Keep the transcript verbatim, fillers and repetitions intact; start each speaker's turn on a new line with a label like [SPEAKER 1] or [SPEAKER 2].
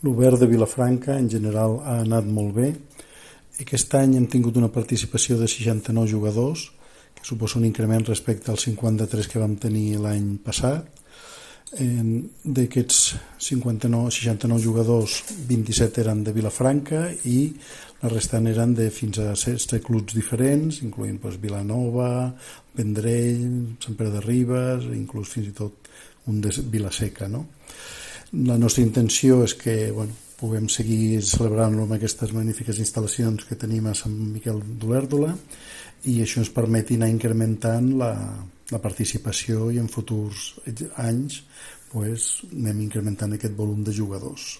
[SPEAKER 1] L'Obert de Vilafranca en general ha anat molt bé. Aquest any hem tingut una participació de seixanta-nou jugadors, que suposa un increment respecte als cinquanta-tres que vam tenir l'any passat. D'aquests cinquanta-nou, seixanta-nou jugadors, vint-i-set eren de Vilafranca i la restant eren de fins a setze clubs diferents, incloent doncs, Vilanova, Vendrell, Sant Pere de Ribes, inclús fins i tot un de Vilaseca, no? La nostra intenció és que bueno, puguem seguir celebrant-lo amb aquestes magnífiques instal·lacions que tenim a Sant Miquel d'Olèrdola i això ens permeti anar incrementant la, la participació i en futurs anys pues, anem incrementant aquest volum de jugadors.